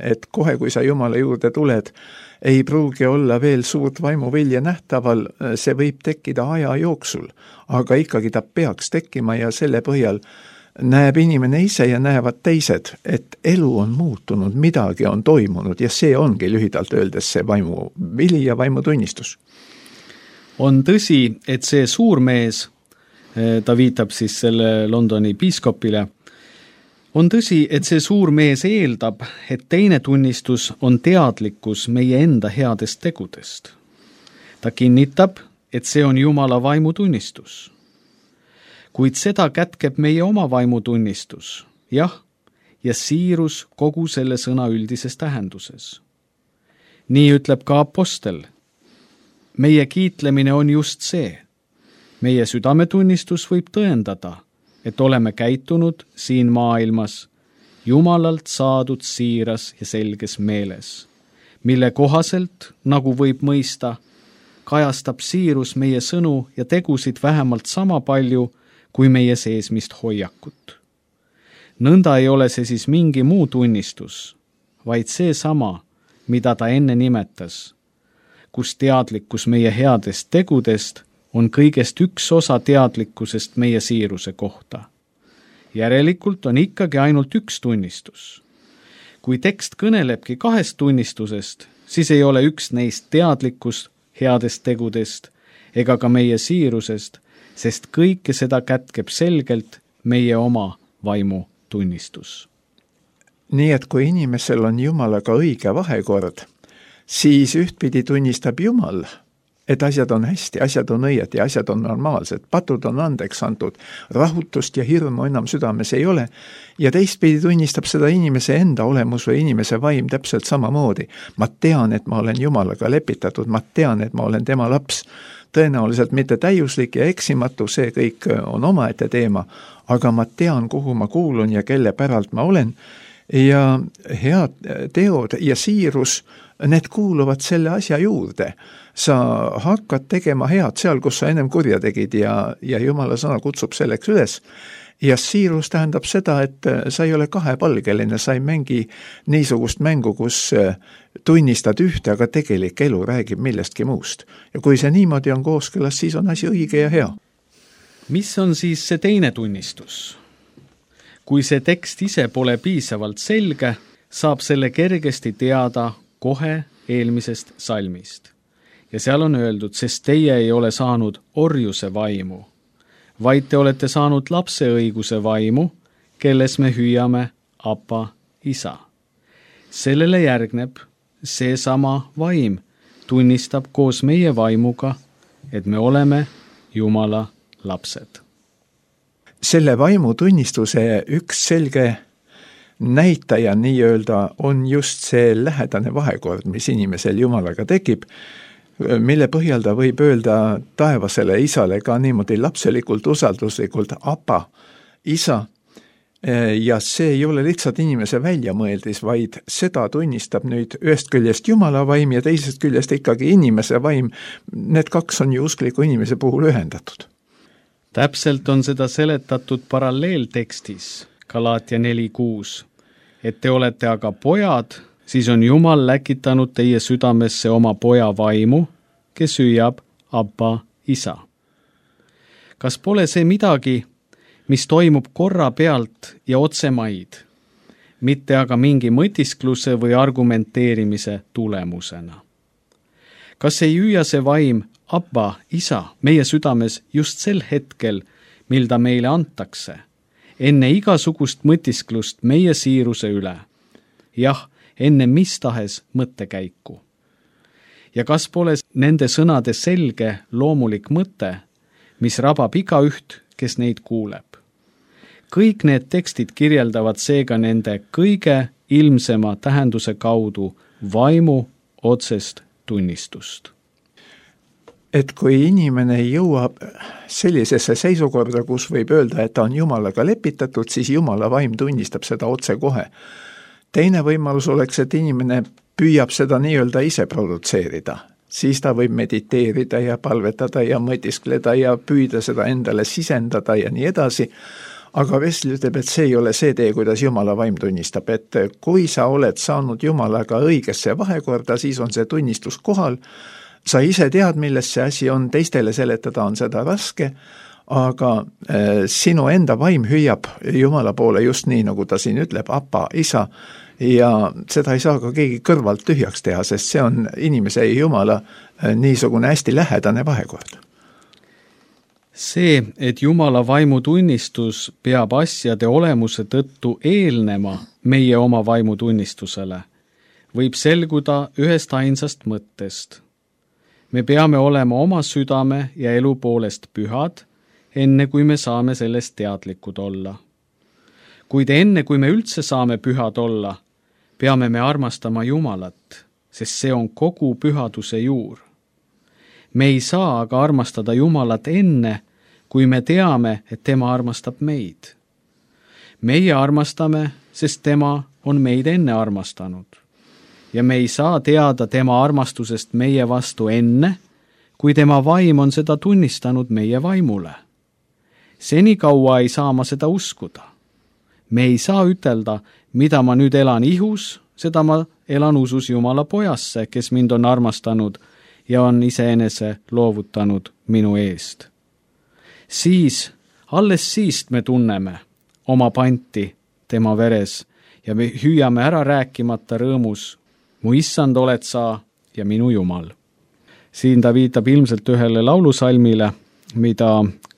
et kohe, kui sa Jumala juurde tuled, ei pruugi olla veel suurt vaimuvilja nähtaval, see võib tekkida aja jooksul, aga ikkagi ta peaks tekkima ja selle põhjal näeb inimene ise ja näevad teised, et elu on muutunud, midagi on toimunud ja see ongi lühidalt öeldes see vaimu vili ja vaimutunnistus. On tõsi, et see suur mees, ta viitab siis selle Londoni piiskopile, on tõsi, et see suur mees eeldab, et teine tunnistus on teadlikkus meie enda headest tegudest. Ta kinnitab, et see on Jumala vaimutunnistus. Kuid seda kätkeb meie oma vaimutunnistus, jah, ja siirus kogu selle sõna üldises tähenduses. Nii ütleb ka apostel. Meie kiitlemine on just see. Meie südametunnistus võib tõendada, et oleme käitunud siin maailmas Jumalalt saadud siiras ja selges meeles, mille kohaselt, nagu võib mõista, kajastab siirus meie sõnu ja tegusid vähemalt sama palju kui meie seesmist hoiakut. Nõnda ei ole see siis mingi muu tunnistus, vaid see sama, mida ta enne nimetas, kus teadlikkus meie headest tegudest on kõigest üks osa teadlikkusest meie siiruse kohta. Järelikult on ikkagi ainult üks tunnistus. Kui tekst kõnelebki kahest tunnistusest, siis ei ole üks neist teadlikkust headest tegudest ega ka meie siirusest, sest kõike seda kätkeb selgelt meie oma vaimu tunnistus. Nii et kui inimesel on Jumalaga õige vahekord, siis ühtpidi tunnistab Jumal, et asjad on hästi, asjad on õied ja asjad on normaalsed, patud on andeks antud, rahutust ja hirmu enam südames ei ole, ja teistpidi tunnistab seda inimese enda olemus või inimese vaim täpselt samamoodi. Ma tean, et ma olen Jumalaga lepitatud, ma tean, et ma olen tema laps, tõenäoliselt mitte täiuslik ja eksimatu, see kõik on omaette teema, aga ma tean, kuhu ma kuulun ja kelle päralt ma olen, ja head teod ja siirus, need kuuluvad selle asja juurde. Sa hakkad tegema head seal, kus sa ennem kurja tegid ja, ja Jumala sõna kutsub selleks üles. Ja siirus tähendab seda, et sa ei ole kahepalgeline, sa ei mängi niisugust mängu, kus tunnistad ühte, aga tegelik elu räägib millestki muust. Ja kui see niimoodi on kooskõlas, siis on asi õige ja hea. Mis on siis see teine tunnistus? Kui see tekst ise pole piisavalt selge, saab selle kergesti teada kohe eelmisest salmist. Ja seal on öeldud, sest teie ei ole saanud orjuse vaimu, vaid te olete saanud lapseõiguse vaimu, kelles me hüüame Appa, isa. Sellele järgneb seesama vaim, tunnistab koos meie vaimuga, et me oleme Jumala lapsed. Selle vaimu tunnistuse üks selge näitaja nii-öelda on just see lähedane vahekord, mis inimesel Jumalaga tekib, mille põhjal ta võib öelda taevasele isale ka niimoodi lapselikult, usalduslikult Appa, isa, ja see ei ole lihtsalt inimese väljamõeldis, vaid seda tunnistab nüüd ühest küljest Jumala vaim ja teisest küljest ikkagi inimese vaim. Need kaks on ju uskliku inimese puhul ühendatud. Täpselt on seda seletatud paralleeltekstis, Galaatia neli kuus, et te olete aga pojad, siis on Jumal läkitanud teie südamesse oma poja vaimu, kes hüüab Appa, isa. Kas pole see midagi, mis toimub korra pealt ja otsemaid, mitte aga mingi mõtiskluse või argumenteerimise tulemusena? Kas ei hüüa see vaim Appa, isa, meie südames just sel hetkel, mil ta meile antakse, enne igasugust mõtisklust meie siiruse üle? Jah, enne mis tahes mõttekäiku. Ja kas pole nende sõnade selge loomulik mõte, mis rabab igaüht, kes neid kuuleb? Kõik need tekstid kirjeldavad seega nende kõige ilmsema tähenduse kaudu vaimu otsest tunnistust. Et kui inimene jõuab sellisesse seisukorda, kus võib öelda, et ta on Jumalaga lepitatud, siis Jumala vaim tunnistab seda otse kohe. Teine võimalus oleks, et inimene püüab seda nii-öelda ise produtseerida. Siis ta võib mediteerida ja palvetada ja mõtiskleda ja püüda seda endale sisendada ja nii edasi. Aga Wesley ütleb, et see ei ole see tee, kuidas Jumala vaim tunnistab, et kui sa oled saanud Jumalaga õigesse vahekorda, siis on see tunnistus kohal. Sa ise tead, milles see asi on, teistele seletada on seda raske, aga äh, sinu enda vaim hüüab Jumala poole just nii, nagu ta siin ütleb, Appa, isa, ja seda ei saa ka keegi kõrvalt tühjaks teha, sest see on inimese ja Jumala äh, niisugune hästi lähedane vahekord. See, et Jumala vaimutunnistus peab asjade olemuse tõttu eelnema meie oma vaimutunnistusele, võib selguda ühest ainsast mõttest. Me peame olema oma südame ja elu poolest pühad, enne kui me saame sellest teadlikud olla. Kuid enne, kui me üldse saame pühad olla, peame me armastama Jumalat, sest see on kogu pühaduse juur. Me ei saa aga armastada Jumalat enne, kui me teame, et tema armastab meid. Meie armastame, sest tema on meid enne armastanud. Ja me ei saa teada tema armastusest meie vastu enne, kui tema vaim on seda tunnistanud meie vaimule. Senikaua ei saa ma seda uskuda. Me ei saa ütelda, mida ma nüüd elan ihus, seda ma elan usus Jumala pojasse, kes mind on armastanud ja on iseenese loovutanud minu eest. Siis, alles siist me tunneme oma panti tema veres ja me hüüame ära rääkimata rõõmus, mu issand oled sa ja minu Jumal. Siin ta viitab ilmselt ühele laulusalmile, mida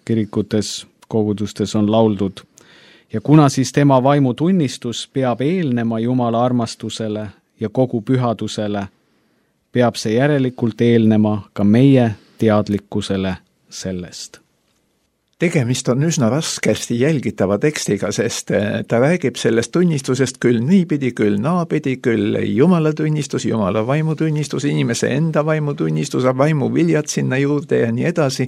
kirikutes, kogudustes on lauldud. Ja kuna siis tema vaimutunnistus peab eelnema Jumala armastusele ja kogu pühadusele, peab see järelikult eelnema ka meie teadlikkusele sellest. Tegemist on üsna raskesti jälgitava tekstiga, sest ta räägib sellest tunnistusest küll niipidi, küll naapidi, küll Jumala tunnistus, Jumala vaimutunnistus, inimese enda vaimutunnistus, vaimuviljad sinna juurde ja nii edasi.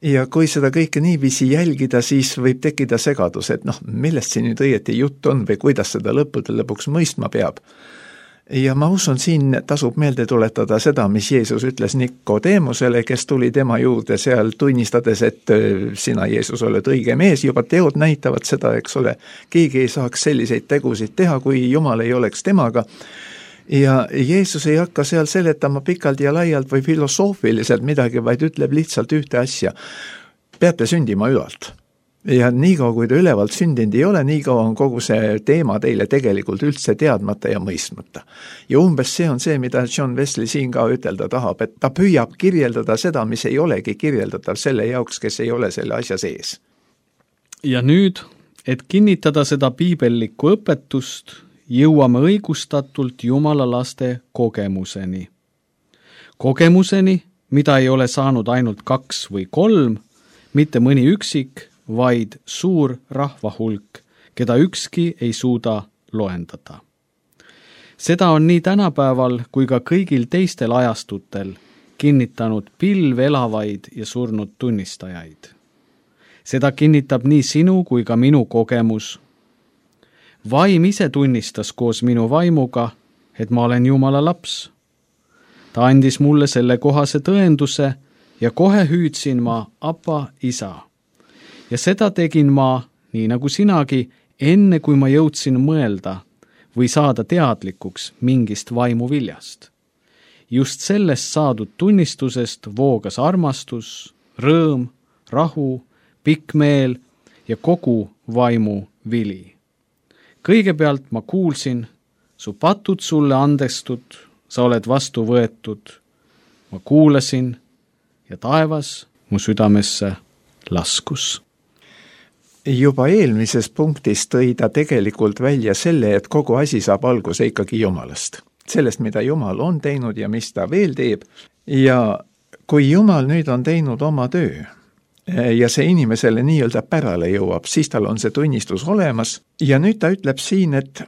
Ja kui seda kõike niiviisi jälgida, siis võib tekkida segadus, et noh, millest siin nüüd õieti jutt on või kuidas seda lõppude lõpuks mõistma peab. Ja ma usun, siin tasub meelde tuletada seda, mis Jeesus ütles Nikodeemusele, kes tuli tema juurde seal tunnistades, et sina, Jeesus, oled õige mees, juba teod näitavad seda, eks ole. Keegi ei saaks selliseid tegusid teha, kui Jumal ei oleks temaga. Ja Jeesus ei hakka seal seletama pikalt ja laialt või filosoofiliselt midagi, vaid ütleb lihtsalt ühte asja. Peate sündima ülalt. Ja niikaua, kui ta ülevalt sündinud ei ole, niikaua on kogu see teema teile tegelikult üldse teadmata ja mõistmata. Ja umbes see on see, mida John Wesley siin ka ütelda tahab, et ta püüab kirjeldada seda, mis ei olegi kirjeldatav selle jaoks, kes ei ole selle asja sees. Ja nüüd, et kinnitada seda piibellikku õpetust, jõuame õigustatult Jumala laste kogemuseni. Kogemuseni, mida ei ole saanud ainult kaks või kolm, mitte mõni üksik, vaid suur rahvahulk, keda ükski ei suuda loendada. Seda on nii tänapäeval kui ka kõigil teistel ajastutel kinnitanud pilv elavaid ja surnud tunnistajaid. Seda kinnitab nii sinu kui ka minu kogemus. Vaim ise tunnistas koos minu vaimuga, et ma olen Jumala laps. Ta andis mulle selle kohase tõenduse ja kohe hüüdsin ma Appa, isa. Ja seda tegin ma, nii nagu sinagi, enne kui ma jõudsin mõelda või saada teadlikuks mingist vaimuviljast. Just sellest saadud tunnistusest voogas armastus, rõõm, rahu, pikk meel ja kogu vaimu vili. Kõigepealt ma kuulsin, su patud sulle andestud, sa oled vastu võetud. Ma kuulasin ja taevas mu südamesse laskus. Juba eelmises punktis tõi ta tegelikult välja selle, et kogu asi saab alguse ikkagi Jumalast. Sellest, mida Jumal on teinud ja mis ta veel teeb. Ja kui Jumal nüüd on teinud oma töö ja see inimesele nii-öelda pärale jõuab, siis tal on see tunnistus olemas. Ja nüüd ta ütleb siin, et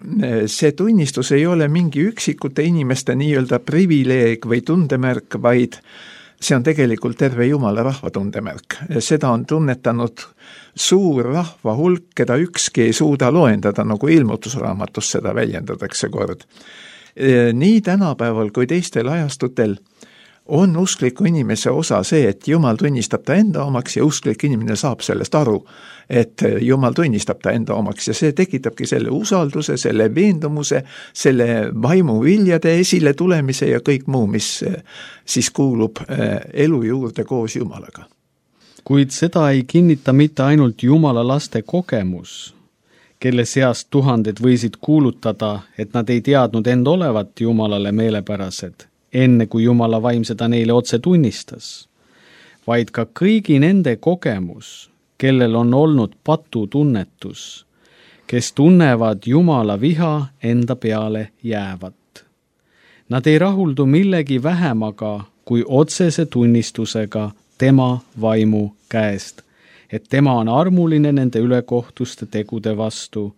see tunnistus ei ole mingi üksikute inimeste nii-öelda privileeg või tundemärk, vaid see on tegelikult terve Jumala rahva tundemärk. Seda on tunnetanud suur rahva hulk, keda ükski ei suuda loendada, nagu ilmutusraamatus seda väljendatakse kord. Nii tänapäeval kui teistel ajastutel on uskliku inimese osa see, et Jumal tunnistab ta enda omaks ja usklik inimene saab sellest aru, et Jumal tunnistab ta enda omaks ja see tekitabki selle usalduse, selle veendumuse, selle vaimuviljade esile tulemise ja kõik muu, mis siis kuulub elu juurde koos Jumalaga. Kuid seda ei kinnita mitte ainult Jumala laste kogemus, kelle seast tuhanded võisid kuulutada, et nad ei teadnud end olevat Jumalale meelepärased, enne kui Jumala vaim seda neile otse tunnistas, vaid ka kõigi nende kogemus, kellel on olnud patutunnetus, kes tunnevad Jumala viha enda peale jäävat. Nad ei rahuldu millegi vähemaga kui otsese tunnistusega tema vaimu käest, et tema on armuline nende ülekohtuste tegude vastu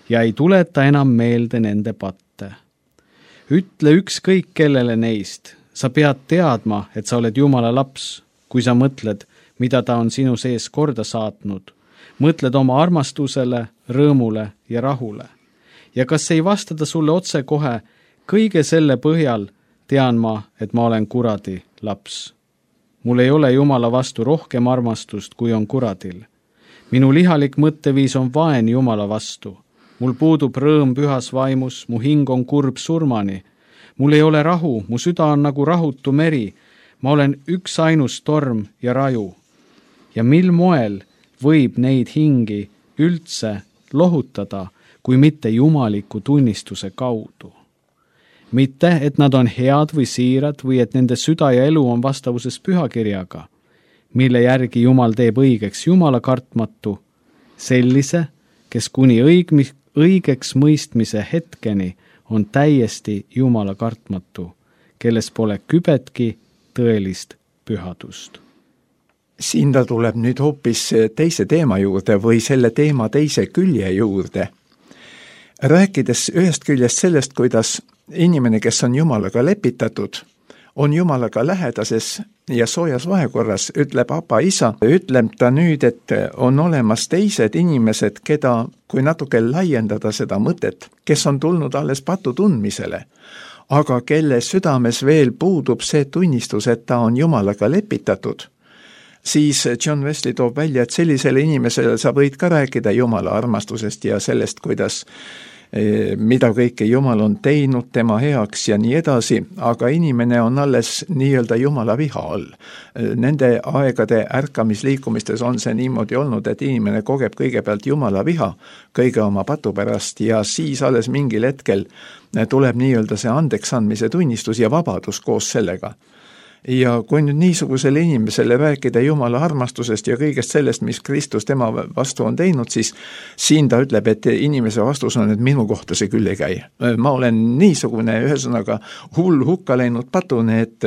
ja ei tuleta enam meelde nende patte. Ütle ükskõik kellele neist, sa pead teadma, et sa oled Jumala laps, kui sa mõtled, mida ta on sinu sees korda saatnud. Mõtled oma armastusele, rõõmule ja rahule. Ja kas ei vasta ta sulle otse kohe, kõige selle põhjal tean ma, et ma olen kuradi laps. Mul ei ole Jumala vastu rohkem armastust, kui on kuradil. Minu lihalik mõtteviis on vaen Jumala vastu. Mul puudub rõõm pühas vaimus, mu hing on kurb surmani. Mul ei ole rahu, mu süda on nagu rahutu meri. Ma olen üks ainus torm ja raju. Ja mil moel võib neid hingi üldse lohutada, kui mitte jumaliku tunnistuse kaudu? Mitte, et nad on head või siirad või et nende süda ja elu on vastavuses pühakirjaga, mille järgi Jumal teeb õigeks Jumala kartmatu, sellise, kes kuni õig- õigeks mõistmise hetkeni on täiesti Jumala kartmatu, kelles pole kübetki tõelist pühadust. Siin ta tuleb nüüd hoopis teise teema juurde või selle teema teise külje juurde. Rääkides ühest küljest sellest, kuidas inimene, kes on Jumalaga lepitatud, on Jumalaga lähedases ja soojas vahekorras, ütleb Aba isa, ütleb ta nüüd, et on olemas teised inimesed, keda, kui natuke laiendada seda mõtet, kes on tulnud alles patu tundmisele, aga kelle südames veel puudub see tunnistus, et ta on Jumalaga lepitatud, siis John Wesley toob välja, et sellisele inimesele sa võid ka rääkida Jumala armastusest ja sellest, kuidas mida kõike Jumal on teinud tema heaks ja nii edasi, aga inimene on alles nii-öelda Jumala viha all. Nende aegade ärkamisliikumistes on see niimoodi olnud, et inimene kogeb kõigepealt Jumala viha kõige oma patu pärast ja siis alles mingil hetkel tuleb nii-öelda see andeksandmise tunnistus ja vabadus koos sellega. Ja kui nüüd niisugusele inimesele rääkida Jumala armastusest ja kõigest sellest, mis Kristus tema vastu on teinud, siis siin ta ütleb, et inimese vastus on, et minu kohta see küll ei käi. Ma olen niisugune, ühesõnaga hull hukka läinud patune, et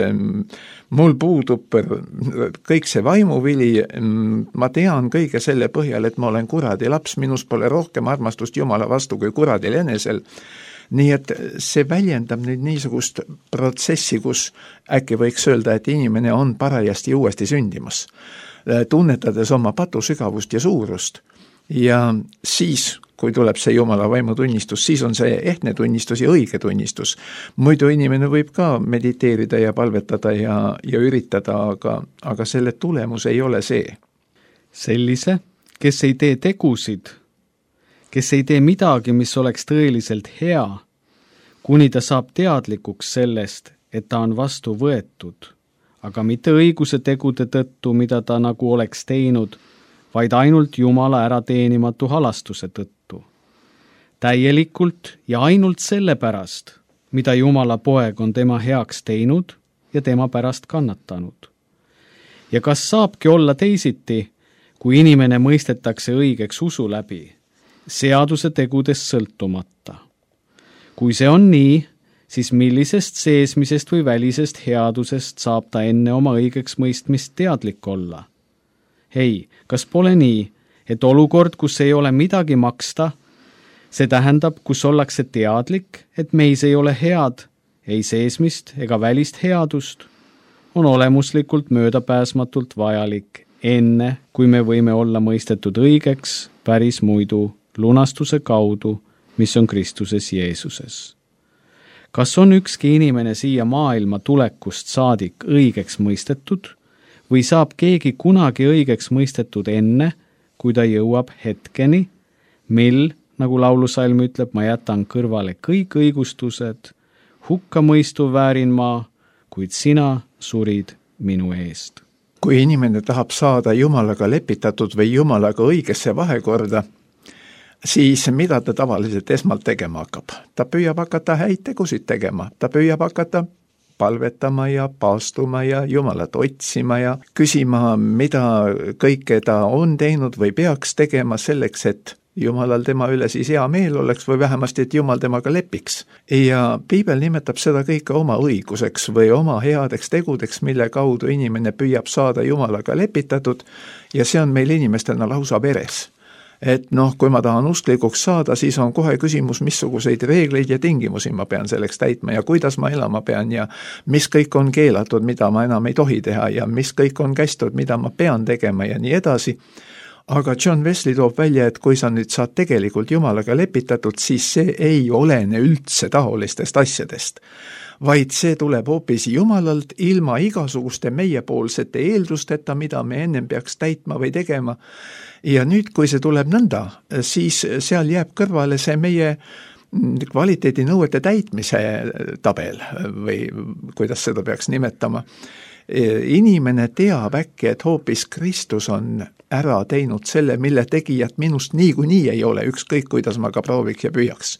mul puudub kõik see vaimuvili, ma tean kõige selle põhjal, et ma olen kuradi laps, minus pole rohkem armastust Jumala vastu kui kuradil enesel. Nii et see väljendab nüüd niisugust protsessi, kus äkki võiks öelda, et inimene on parajasti uuesti sündimas, tunnetades oma patu sügavust ja suurust. Ja siis, kui tuleb see Jumala vaimu tunnistus, siis on see ehtne tunnistus ja õige tunnistus. Muidu inimene võib ka mediteerida ja palvetada ja, ja üritada, aga, aga selle tulemus ei ole see. Sellise, kes ei tee tegusid, kes ei tee midagi, mis oleks tõeliselt hea, kuni ta saab teadlikuks sellest, et ta on vastu võetud, aga mitte õiguse tegude tõttu, mida ta nagu oleks teinud, vaid ainult Jumala ärateenimatu halastuse tõttu. Täielikult ja ainult selle pärast, mida Jumala poeg on tema heaks teinud ja tema pärast kannatanud. Ja kas saabki olla teisiti, kui inimene mõistetakse õigeks usu läbi, seaduse tegudest sõltumata. Kui see on nii, siis millisest seesmisest või välisest headusest saab ta enne oma õigeks mõistmist teadlik olla? Hei, kas pole nii, et olukord, kus ei ole midagi maksta, see tähendab, kus ollakse teadlik, et meis ei ole head, ei seesmist ega välist headust, on olemuslikult möödapääsmatult vajalik, enne kui me võime olla mõistetud õigeks päris muidu lunastuse kaudu, mis on Kristuses Jeesuses. Kas on ükski inimene siia maailma tulekust saadik õigeks mõistetud või saab keegi kunagi õigeks mõistetud enne, kui ta jõuab hetkeni, mil, nagu laulusalm ütleb, ma jätan kõrvale kõik õigustused, hukka mõistu väärin ma, kuid sina surid minu eest. Kui inimene tahab saada Jumalaga lepitatud või Jumalaga õigesse vahekorda, siis mida ta tavaliselt esmalt tegema hakkab? Ta püüab hakata häid tegusid tegema, ta püüab hakata palvetama ja paastuma ja Jumalat otsima ja küsima, mida kõike ta on teinud või peaks tegema selleks, et Jumalal tema üle siis hea meel oleks või vähemasti, et Jumal temaga lepiks. Ja piibel nimetab seda kõike oma õiguseks või oma headeks tegudeks, mille kaudu inimene püüab saada Jumalaga lepitatud ja see on meil inimestena lausa veres. Et noh, kui ma tahan usklikuks saada, siis on kohe küsimus, missuguseid reegleid ja tingimusi ma pean selleks täitma ja kuidas ma elama pean ja mis kõik on keelatud, mida ma enam ei tohi teha ja mis kõik on kästud, mida ma pean tegema ja nii edasi. Aga John Wesley toob välja, et kui sa nüüd saad tegelikult Jumalaga lepitatud, siis see ei olene üldse taolistest asjadest, vaid see tuleb hoopis Jumalalt ilma igasuguste meiepoolsete eeldusteta, mida me ennem peaks täitma või tegema. Ja nüüd, kui see tuleb nõnda, siis seal jääb kõrvale see meie kvaliteedinõuete täitmise tabel või kuidas seda peaks nimetama. Inimene teab äkki, et hoopis Kristus on ära teinud selle, mille tegijat minust niikuinii ei ole, ükskõik kuidas ma ka prooviks ja püüaks.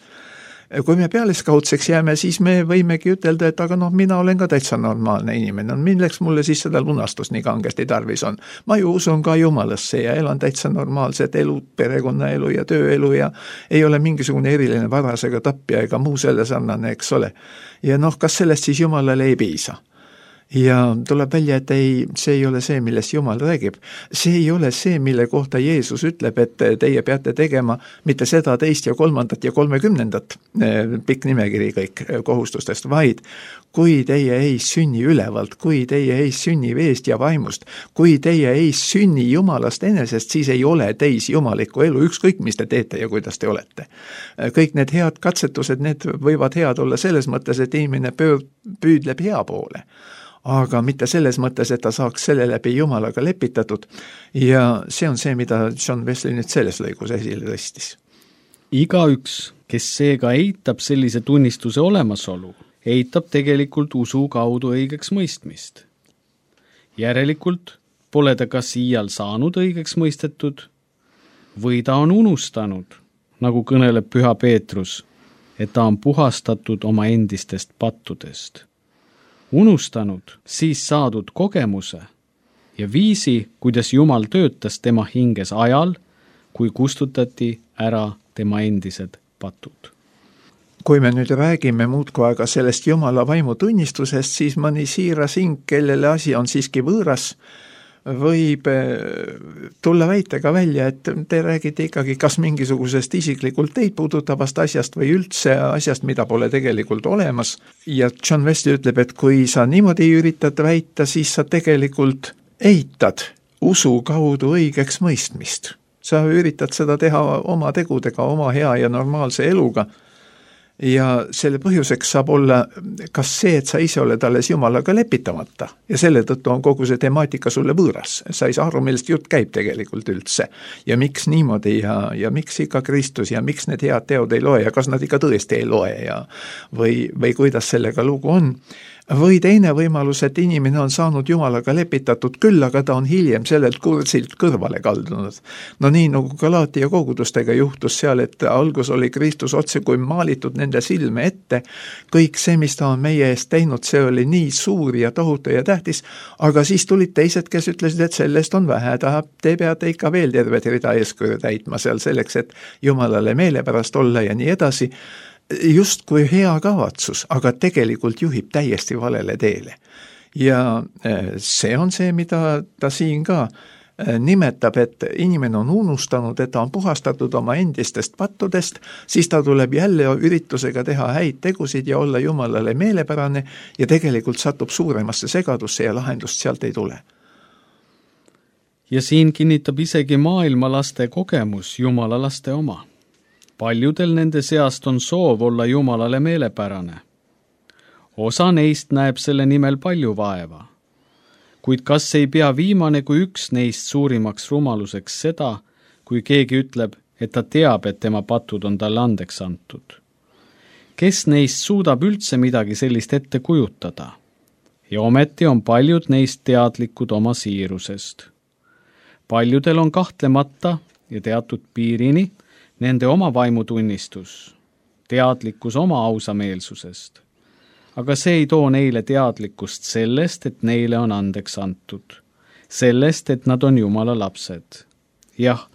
Kui me pealiskaudseks jääme, siis me võimegi ütelda, et aga noh, mina olen ka täitsa normaalne inimene, milleks mulle siis seda lunastust nii kangesti tarvis on. Ma ju usun ka Jumalasse ja elan täitsa normaalset elu, perekonnaelu ja tööelu ja ei ole mingisugune eriline varas ega tapja ega muu selle sarnane, eks ole. Ja noh, kas sellest siis Jumalale ei piisa? Ja tuleb välja, et ei, see ei ole see, millest Jumal räägib. See ei ole see, mille kohta Jeesus ütleb, et teie peate tegema mitte seda teist ja kolmandat ja kolmekümnendat, pikk nimekiri kõik kohustustest, vaid kui teie ei sünni ülevalt, kui teie ei sünni veest ja vaimust, kui teie ei sünni Jumalast enesest, siis ei ole teis jumalikku elu, ükskõik mis te teete ja kuidas te olete. Kõik need head katsetused, need võivad head olla selles mõttes, et inimene püüdleb hea poole. Aga mitte selles mõttes, et ta saaks selle läbi Jumalaga lepitatud ja see on see, mida John Wesley nüüd selles lõigus esile tõstis. Igaüks, kes seega eitab sellise tunnistuse olemasolu, eitab tegelikult usu kaudu õigeks mõistmist. Järelikult pole ta kas iial saanud õigeks mõistetud või ta on unustanud, nagu kõneleb Püha Peetrus, et ta on puhastatud oma endistest pattudest. Unustanud siis saadud kogemuse ja viisi, kuidas Jumal töötas tema hinges ajal, kui kustutati ära tema endised patud. Kui me nüüd räägime muudkui aga sellest Jumala vaimu tunnistusest, siis mõni siiras hing, kellele asi on siiski võõras, võib tulla väitega välja, et te räägite ikkagi kas mingisugusest isiklikult teid puudutavast asjast või üldse asjast, mida pole tegelikult olemas. Ja John Wesley ütleb, et kui sa niimoodi üritad väita, siis sa tegelikult eitad usu kaudu õigeks mõistmist. Sa üritad seda teha oma tegudega, oma hea ja normaalse eluga. Ja selle põhjuseks saab olla kas see, et sa ise oled alles Jumalaga lepitamata ja selle tõttu on kogu see temaatika sulle võõras. Sa ei saa aru, millest jutt käib tegelikult üldse ja miks niimoodi ja, ja miks ikka Kristus ja miks need head teod ei loe ja kas nad ikka tõesti ei loe ja või, või kuidas sellega lugu on. Või teine võimalus, et inimene on saanud Jumalaga lepitatud küll, aga ta on hiljem sellelt kursilt kõrvale kaldunud. No nii nagu Galaatia kogudustega juhtus seal, et algus oli Kristus otse kui maalitud nende silme ette. Kõik see, mis ta on meie eest teinud, see oli nii suur ja tohutu ja tähtis, aga siis tulid teised, kes ütlesid, et sellest on vähe, ta, te peate ikka veel tervet rida eeskuju täitma seal selleks, et Jumalale meelepärast olla ja nii edasi. Just kui hea kavatsus, aga tegelikult juhib täiesti valele teele. Ja see on see, mida ta siin ka nimetab, et inimene on unustanud, et ta on puhastatud oma endistest pattudest, siis ta tuleb jälle üritusega teha häid tegusid ja olla Jumalale meelepärane ja tegelikult satub suuremasse segadusse ja lahendust sealt ei tule. Ja siin kinnitab isegi maailma laste kogemus Jumala laste oma. Paljudel nende seast on soov olla Jumalale meelepärane. Osa neist näeb selle nimel palju vaeva. Kuid kas ei pea viimane kui üks neist suurimaks rumaluseks seda, kui keegi ütleb, et ta teab, et tema patud on talle andeks antud? Kes neist suudab üldse midagi sellist ette kujutada? Ja ometi on paljud neist teadlikud oma siirusest. Paljudel on kahtlemata ja teatud piirini nende oma vaimutunnistus, teadlikkus oma ausameelsusest. aga see ei too neile teadlikkust sellest, et neile on andeks antud. Sellest, et nad on Jumala lapsed. Jah,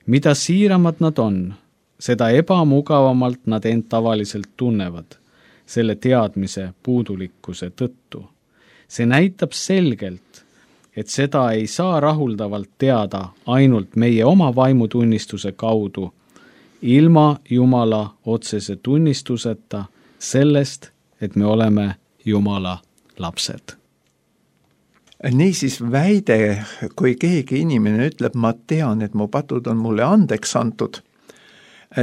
mida siiramad nad on, seda ebamugavamalt nad end tavaliselt tunnevad, selle teadmise puudulikkuse tõttu. See näitab selgelt, et seda ei saa rahuldavalt teada ainult meie oma vaimutunnistuse kaudu, ilma Jumala otsese tunnistuseta sellest, et me oleme Jumala lapsed. Niisiis väide, kui keegi inimene ütleb, ma tean, et mu patud on mulle andeks antud,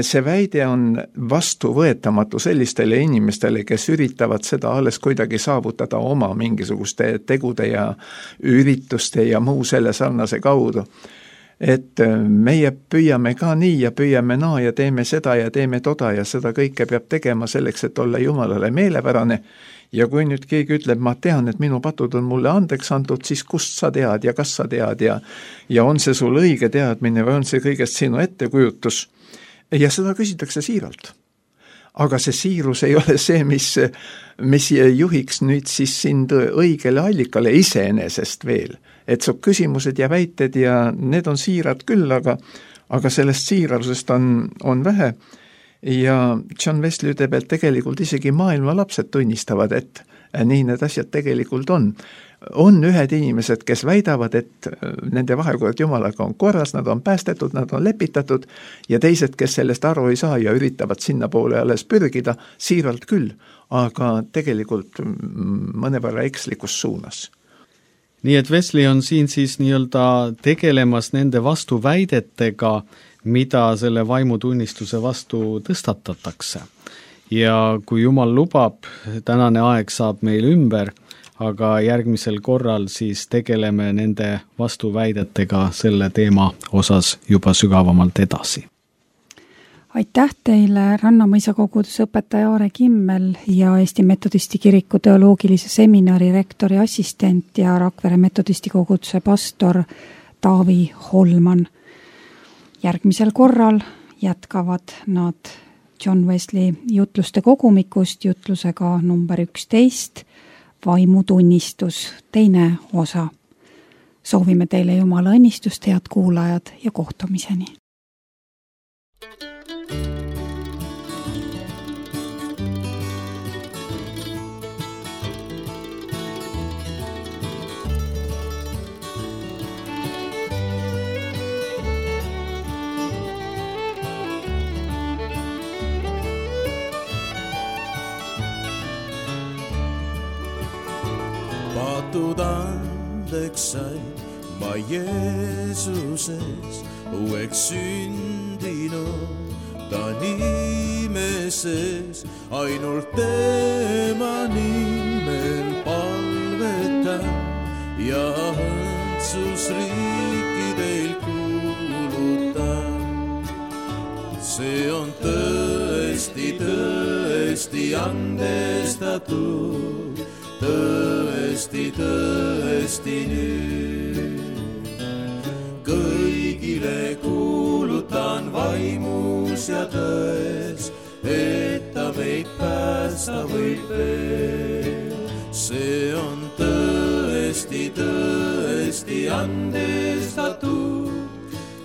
see väide on vastuvõetamatu sellistele inimestele, kes üritavad seda alles kuidagi saavutada oma mingisuguste tegude ja ürituste ja muu selle sarnase kaudu. Et meie püüame ka nii ja püüame naa ja teeme seda ja teeme toda ja seda kõike peab tegema selleks, et olla Jumalale meelepärane. Ja kui nüüd keegi ütleb, ma tean, et minu patud on mulle andeks antud, siis kust sa tead ja kas sa tead ja, ja on see sul õige teadmine või on see kõigest sinu ettekujutus. Ja seda küsitakse siiralt. Aga see siirus ei ole see, mis, mis juhiks nüüd siis sind õigele allikale iseenesest veel. Et su küsimused ja väited ja need on siirad küll, aga, aga sellest siirarusest on, on vähe. Ja John Wesley ütleb, et tegelikult isegi maailma lapsed tunnistavad, et nii need asjad tegelikult on. On ühed inimesed, kes väidavad, et nende vahekord Jumalaga on korras, nad on päästetud, nad on lepitatud ja teised, kes sellest aru ei saa ja üritavad sinna poole alles pürgida, siiralt küll, aga tegelikult mõnevõrra ekslikus suunas. Nii et Wesley on siin siis nii-öelda tegelemas nende vastuväidetega, mida selle vaimutunnistuse vastu tõstatatakse. Ja kui Jumal lubab, tänane aeg saab meil ümber, aga järgmisel korral siis tegeleme nende vastuväidetega selle teema osas juba sügavamalt edasi. Aitäh teile, Rannamõisa koguduse õpetaja Aare Kimmel ja Eesti Metodisti Kiriku teoloogilise seminari rektori assistent ja Rakvere Metodisti koguduse pastor Taavi Holman. Järgmisel korral jätkavad nad John Wesley jutluste kogumikust jutlusega number üksteist, vaimutunnistus, teine osa. Soovime teile Jumala õnnistust, head kuulajad ja kohtumiseni. Patud andeks sain ma Jeesuses uueks sündinud, ta nimeses ainult tema nimel palvetan ja õndsusriikidel kuulutan. See on tõesti, tõesti andestatud, tõesti, tõesti nüüd. Kõigile kuulutan vaimus ja tões, et ta meid päästa võib veel. See on tõesti, tõesti andestatud,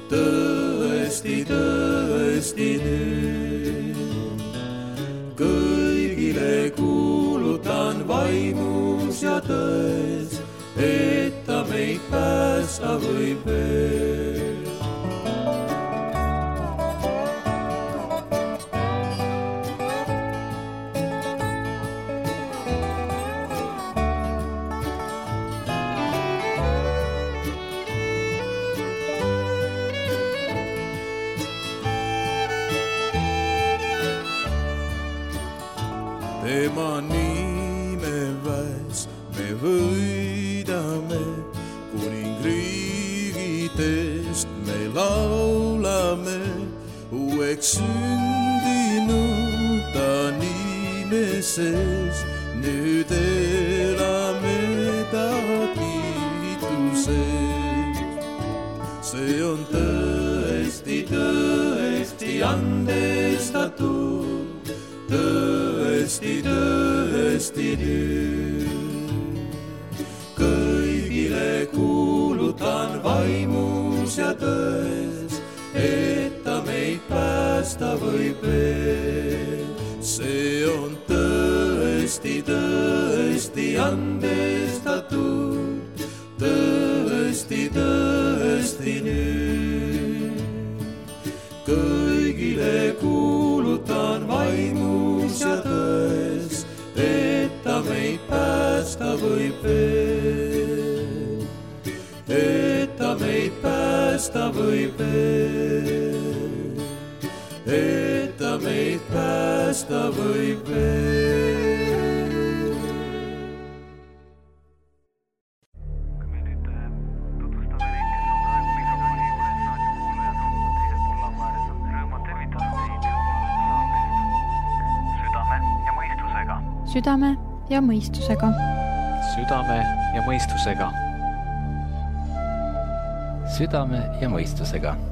tõesti, tõesti nüüd. Kõigile kuulutan vaimus ja tões, et ta meid päästa võib veel. Tema nime väes me võidame, kuningriigidest me laulame. Uueks sündinud ta nimeses, nüüd elame ta kiituses. See on tõesti, tõesti andestatud, tõesti, tõesti tõesti nüüd. Kõigile kuulutan vaimus ja tões, et ta meid päästa võib veel. See on tõesti, tõesti andestatud, tõesti, tõesti nüüd. Kõigile kuulutan vaimus ja tões, et ta meid päästa võib veel. Et ta meid päästa võib veel. Et ta meid päästa võib veel. Kui me nüüd tutvustame neid, kes on praegu mikrofoni juures, raadiokuulajad on teisel pool laua ääres, on rõõm tervitada teid saatest Südame ja mõistusega. Südame ja mõistusega. Südame ja mõistusega. Südame ja mõistusega.